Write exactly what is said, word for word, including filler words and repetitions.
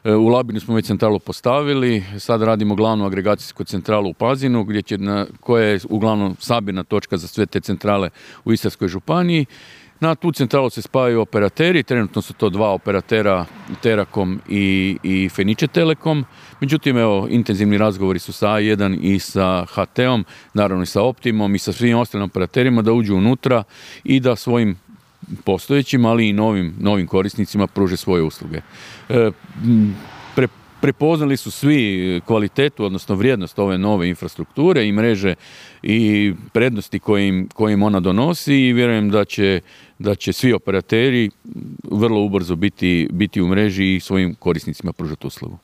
U Labinu smo već centralu postavili, sad radimo glavnu agregacijsku centralu u Pazinu, gdje će na, koja je uglavnom sabirna točka za sve te centrale u Istarskoj županiji. Na tu centralu se spajaju operateri, trenutno su to dva operatera, Terakom i, i Fenice Telekom. Međutim, evo, intenzivni razgovori su sa A jedan i sa H T-om, naravno i sa Optimom i sa svim ostalim operaterima da uđu unutra i da svojim postojećim, ali i novim, novim korisnicima pruže svoje usluge. E, pre, prepoznali su svi kvalitetu, odnosno vrijednost ove nove infrastrukture i mreže i prednosti kojim, kojim ona donosi i vjerujem da će, da će svi operateri vrlo ubrzo biti, biti u mreži i svojim korisnicima pružati uslugu.